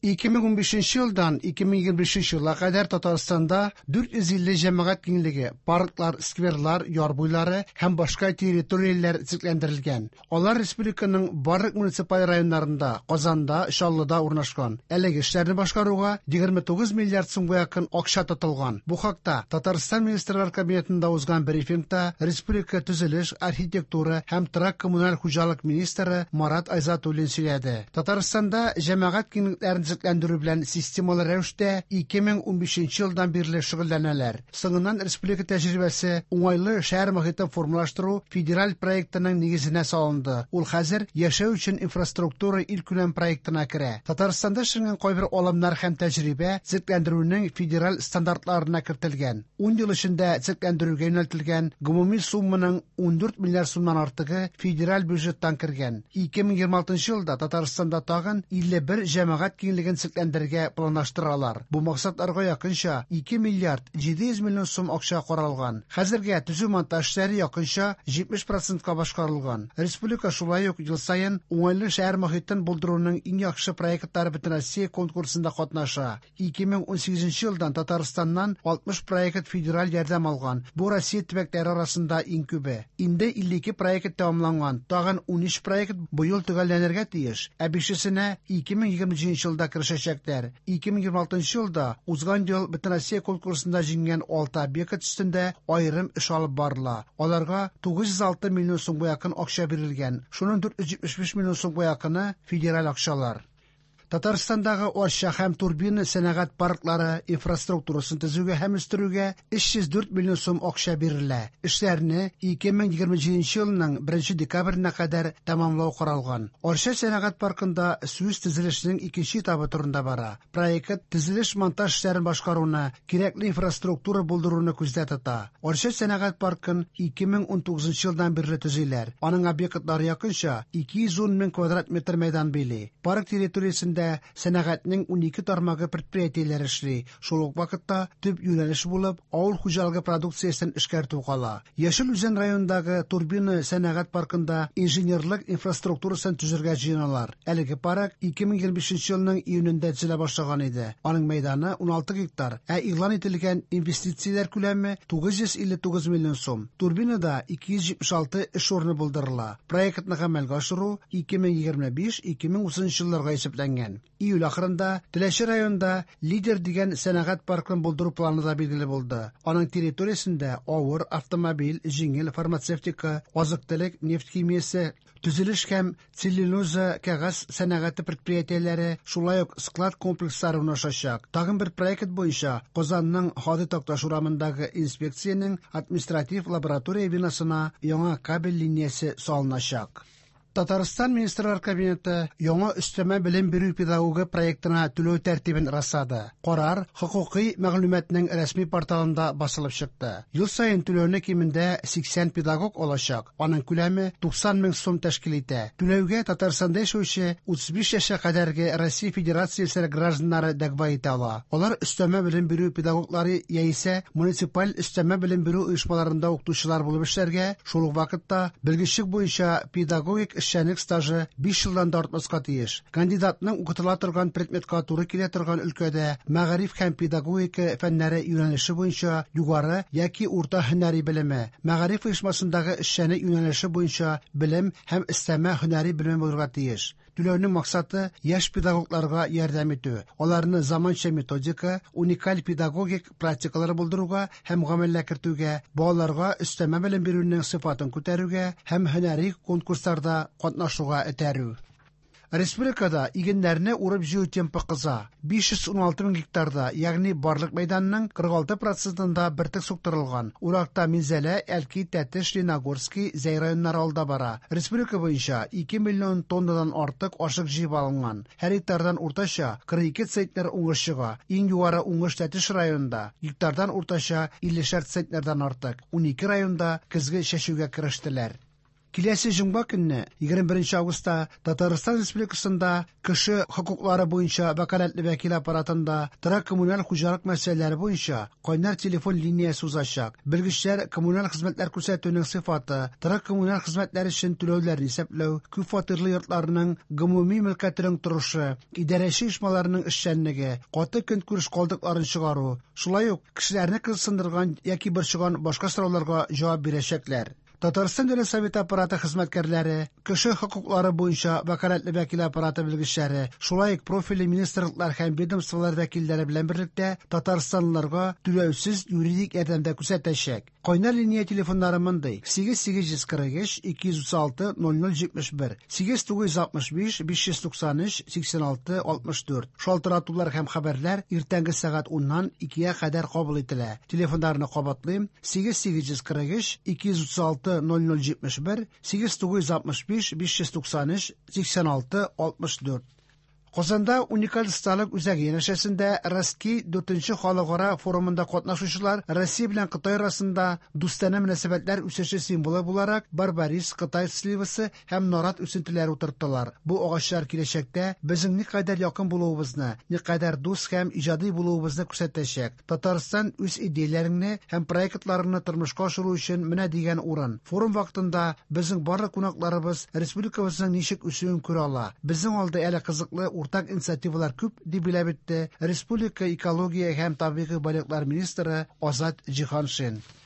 2015 елдан 2025 елга кадәр Татарстанда 450 җәмәгать киңлеге, парклар, скверлар, яр буйлары һәм башка территорияләр төзекләндерелгән. Алар республиканың барлык муниципаль районнарында, Казанда, Чаллыда урнашкан. Әлеге эшләрне башкаруга 29 миллиард сумга якын акча тотылган. Бу хакта Татарстан Министрлар Кабинетында узган брифингта республика төзелеш, архитектура һәм торак-коммуналь хуҗалык министры Марат Айзатуллин сөйләде. Татарстанда җәмәгать киңлекләрен төзекләндерү белән системалы рәвештә 2015 елдан бирле шөгыльләнәләр. Соңыннан республика тәҗрибәсе уңайлы шәһәр мохитен формалаштыру федераль проектының нигезенә салынды. Ул хәзер яшәү өчен инфраструктура илкүләм проектына керә. Татарстанда эшләнгән кайбер алымнар һәм тәҗрибә төзекләндерүнең федераль стандартларына кертелгән. 10 ел эчендә төзекләндерүгә юнәлтелгән гомуми сумманың 14 миллиард сумнан артыгы федераль бюджеттан кергән. 2026 елда Татарстанда тагын 51 җәмәгать киңлеген төзекләндерергә планлаштыралар. Бу максатларга якынча 2 миллиард 700 миллион сум акча каралган. Хәзергә төзү-монтаж эшләре якынча 70 процентка башкарылган. Республика шулай ук ел саен уңайлы шәһәр мохитен булдыруның иң яхшы проектлары Бөтенроссия конкурсында катнаша. 2018 елдан Татарстаннан 60 проект федераль ярдәм алган. Бу Россия төбәкләре арасында иң күбе. Инде 52 проект тәмамланган, тагын 13 проект быел төгәлләнергә тиеш, ә бишесенә 2027 елда керешәчәкләр. 2026 елда узган ел Бөтенроссия конкурсында җиңгән 6 объект өстендә аерым эш алып барыла. Аларга 906 миллион сумга якын акча бирелгән. Шуның 475 миллион сумга якыны федераль акчалар. Татарстандагы Арча һәм Турбина сәнәгать парклары инфраструктурасын төзүгә һәм үстерүгә 304 миллион сум акча бирелә. Эшләрне 2027 елның 1 декабренә кадәр тәмамлау каралган. Арча сәнәгать паркында сүз төзелешнең икенче этабы турында бара. Проект төзелеш-монтаж эшләрен башкаруны, кирәкле инфраструктура булдыруны күздә тота. Арча сәнәгать паркын 2019 елдан бирле төзиләр. Аның объектлары якынча 210 мең квадрат метр мәйдан били. Парк территориясендә сәнәгатьнең 12 тармагы предприятиеләре эшли. Шул ук вакытта төп юнәлеш булып авыл хуҗалыгы продукциясен эшкәртү кала. Яшел Үзән районындагы Турбина сәнәгать паркында инженерлык инфраструктурасын төзергә җыеналар. Әлеге парк 2025 елның июнендә төзелә башлаган иде. Аның мәйданы 16 гектар, ә игълан ителгән инвестицияләр күләме 959 миллион сум. Турбинада 276 эш урыны булдырыла. Проектны гамәлгә ашыру 2025-2030 елларга исәпләнгән. Июль ахырында Теләче районында Лидер дигән сәнәгать паркын булдыру планы да билгеле булды. Аның территориясендә авыр автомобиль, җиңел фармацевтика, азык-төлек, нефть химиясе, төзелеш һәм целлюлоза кәгазь сәнәгате предприятиеләре, шулай ук склад комплекслары урнашачак. Тагын бер проект буенча Казанның Һади Такташ урамындагы инспекциянең административ лаборатория бинасына яңа кабель линиясе салыначак. Татарстан Министрлар Кабинеты яңа өстәмә белем бирү педагогы проектына түләү тәртибен раслады. Карар хокукый мәгълүматның рәсми порталында басылып чыкты. Ел саен түләүне кимендә 80 педагог алачак. Аның күләме 90 мең сум тәшкил итә. Түләүгә Татарстанда яшәүче 35 яшькә кадәрге Россия Федерациясе гражданнары дәгъва итә ала. Алар өстәмә белем бирү педагоглары яисә муниципаль өстәмә белем бирү оешмаларында укытучылар булып эшләргә, шул ук вакытта белгечлек буенча педагогик эшчәнлек стажы 5 елдан да артмаска тиеш. Кандидатның укытыла торган предметка туры килә торган өлкәдә мәгариф һәм педагогика фәннәре юнәлеше буенча югары яки урта һөнәри белеме, мәгариф оешмасындагы эшчәнлек юнәлеше буенча белем һәм өстәмә һөнәри белеме булырга тиеш. Түләүнең максаты яшь педагогларга ярдәм итү, аларны заманча методика, уникаль педагогик практикалар булдыруга һәм гамәлгә кертүгә, балаларга өстәмә белем бирүнең сыйфатын күтәрүгә һәм һөнәри конкурсларда катнашуга этәрү. Республикада игеннәрне урып-җыю темпы кыза. 516 мең гектарда, ягъни барлык мәйданның 46 процентында бөртек суктырылган. Уракта Минзәлә, Әлки, Тәтеш, Лениногорский, Зәй районнары алда бара. Республика буенча 2 миллион тоннадан артык ашык җыеп алынган. Һәр гектардан уртача 42 центнер уңыш чыга. Иң югары уңыш Тәтеш районында, гектардан уртача 50 центнердан артык. 12 районда көзге чәчүгә керештеләр. Киләсе җомга көнне, 21 августта, Татарстан Республикасында Кеше хокуклары буенча вәкаләтле вәкил аппаратында торак-коммуналь хуҗалык мәсьәләләре буенча кайнар телефон линиясе узачак. Белгечләр коммуналь хезмәтләр күрсәтүнең сыйфаты, торак-коммуналь хезмәтләр өчен түләүләрне исәпләү, күпфатирлы йортларның гомуми мөлкәтенең торышы, идарәче оешмаларның эшчәнлеге, каты көнкүреш калдыкларын чыгару, шулай ук кешеләрне кызыксындырган яки борчыган башка сорауларга җавап бирәчәкләр. Татарстан Дәүләт Советы аппараты хезмәткәрләре, кеше хокуклары буенча вәкаләтле вәкил аппараты белгечләре, шулай ук профильле министрлыклар һәм ведомстволар вәкилләре белән берлектә татарстанлыларга түләүсез юридик ярдәм дә күрсәтәчәк. Кайнар линия телефоннары мондый: 8843 236 0071, 8965 593 86 64. Шалтыратулар һәм хәбәрләр иртәнге сәгать 10-нан 2-гә кадәр кабул ителә. Телефоннарны кабатлыйм: 8843 236 0071, 8965 593 86 64. Казанда уникаль осталык үзәге янәшәсендә Ростки 4нче халыкара форумында катнашучылар Россия белән Кытай арасында дустанә мөнәсәбәтләр үсеше символы буларак барбарис, Кытай сливасы һәм нарат үсентеләре утырттылар. Бу агачлар киләчәктә безнең никадәр якын булуыбызны, никадәр дус һәм иҗади булуыбызны күрсәтәчәк. Татарстан үз идеяләреңне һәм проектларыңны тормышка ашыру өчен менә дигән урын. Форум вакытында безнең барлык кунакларыбыз республикабызның ничек үсүен күрә ала. Безнең алда әле кызыклы уртак инициативалар күп, дип билгеләп үтте республика экология һәм табигый байлыклар министры Азат Җиһаншин.